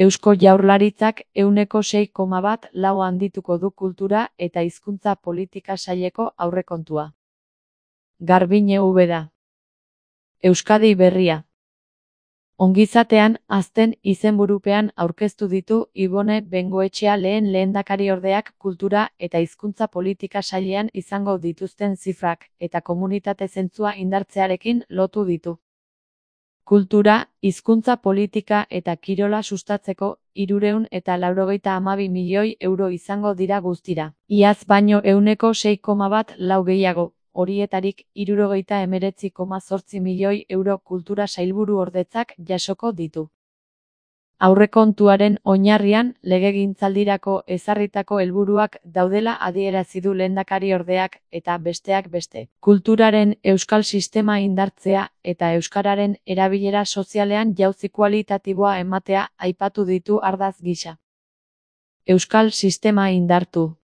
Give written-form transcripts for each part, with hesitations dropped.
Eusko Jaurlaritzak 6,1% handituko du kultura eta hizkuntza politika saileko aurrekontua. Garbiñe Ubeda. Euskadi Berria. Ongizatean azten izenburupean aurkeztu ditu Ibone Bengoetxea lehen lehendakariordeak kultura eta hizkuntza politika sailean izango dituzten zifrak eta komunitate zentzua indartzearekin lotu ditu. Kultura, hizkuntza politika eta kirola sustatzeko 392 milioi euro izango dira guztira. Iaz baino 6,1% gehiago. Horietarik 79,8 milioi euro kultura sailburuordetzak jasoko ditu. Aurrekontuaren oinarrian legegintzaldirako ezarritako helburuak daudela adierazi du lehendakariordeak eta besteak beste. Kulturaren euskal sistema indartzea eta euskararen erabilera sozialean jauzi kualitatiboa ematea aipatu ditu ardatz gisa. Euskal sistema indartu.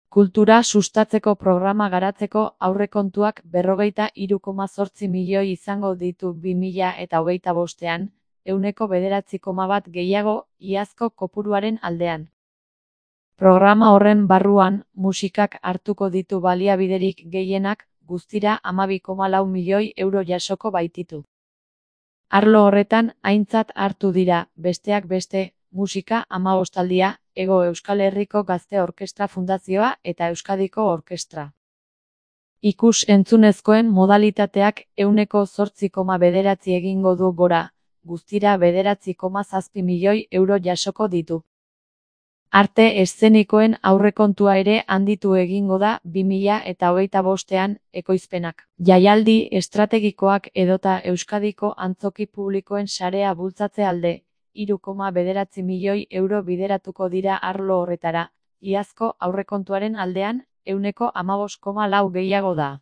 Kultura sustatzeko programa garatzeko aurrekontuak 43,8 milioi izango ditu 2025ean, 9,1% gehiago iazko kopuruaren aldean. Programa horren barruan, musikak hartuko ditu baliabiderik gehienak, guztira 12,4 milioi euro jasoko baititu. Arlo horretan aintzat hartu dira, besteak beste, musika 15aldia, Hego Euskal Herriko Gazte Orkestra Fundazioa eta Euskadiko Orkestra. Ikus-entzunezkoen modalitateak 8,9% egingo du gora, guztira 9,7 milioi euro jasoko ditu. Arte eszenikoen aurrekontua ere handitu egingo da 2025ean ekoizpenak. Jaialdi estrategikoak edota Euskadiko antzoki publikoen sarea bultzatze alde, 3,9 milioi euro bideratuko dira arlo horretara, iazko aurrekontuaren aldean 15,4% gehiago da.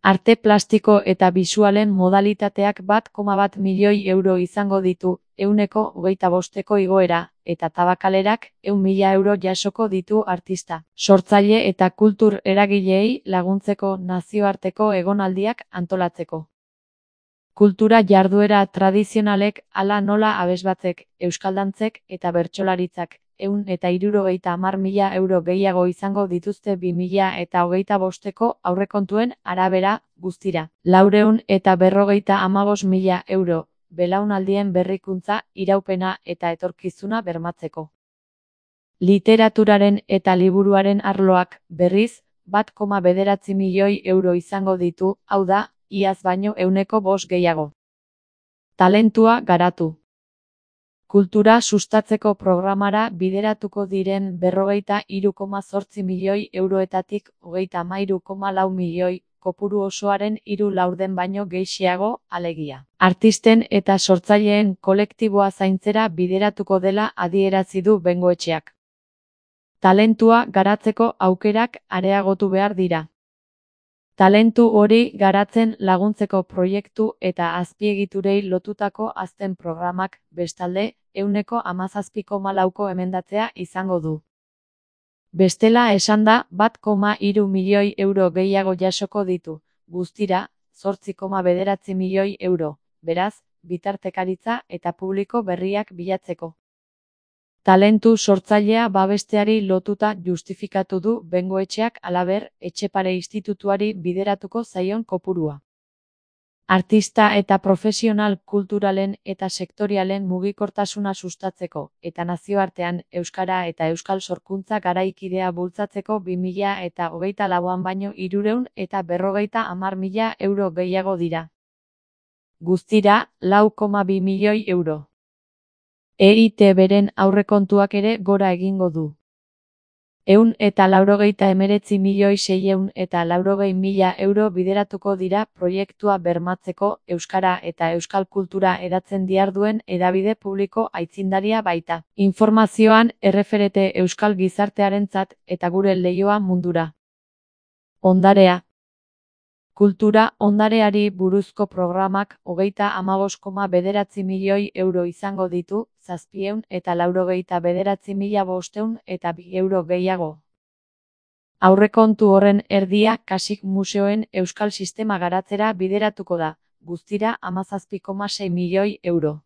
Arte plastiko eta bisualen modalitateak 1,1 milioi euro izango ditu, 125eko igoera, eta tabakalerak 100.000 euro jasoko ditu artista, sortzaile eta kultur eragileei laguntzeko nazioarteko egonaldiak antolatzeko. Kultura jarduera tradizionalek hala nola abesbatzek, euskaldantzek eta bertsolaritzak 170.000 euro gehiago izango dituzte 2025eko aurrekontuen arabera, guztira. 455.000 euro, belaunaldien berrikuntza, iraupena eta etorkizuna bermatzeko. Literaturaren eta liburuaren arloak, berriz, 1,9 milioi euro izango ditu, hau da, iaz baino 5% gehiago. Talentua garatu. Kultura sustatzeko programara bideratuko diren 43,8 milioi euroetatik 33,4 milioi, kopuru osoaren 3/4 baino gehiago, alegia. Artisten eta sortzaileen kolektiboa zaintzera bideratuko dela adierazi du Bengoetxeak. Talentua garatzeko aukerak areagotu behar dira. Talentu hori garatzen laguntzeko proiektu eta azpiegiturei lotutako azken programak, bestalde, 17,4% emendatzea izango du. Bestela esanda 1,3 milioi euro gehiago jasoko ditu, guztira, 8,9 milioi euro, beraz, bitartekaritza eta publiko berriak bilatzeko. Talentu sortzailea babesteari lotuta justifikatu du Bengoetxeak halaber, Etxepare Institutuari bideratuko zaion kopurua. Artista eta profesional kulturalen eta sektorialen mugikortasuna sustatzeko eta nazioartean euskara eta euskal sorkuntza garaikidea bultzatzeko 2024an baino 350.000 euro gehiago dira. Guztira, 4,2 milioi euro. EITBren aurrekontuak ere gora egingo du. 189.680.000 euro bideratuko dira proiektua bermatzeko, euskara eta euskal kultura hedatzen diharduen hedabide publiko aitzindaria baita. Informazioan erreferente euskal gizartearentzat eta gure leihoa mundura. Ondarea. Kultura ondareari buruzko programak 35,9 milioi euro izango ditu, 799.502 euro gehiago. Aurrekontu horren erdia kasik museoen euskal sistema garatzera bideratuko da, guztira 17,6 milioi euro.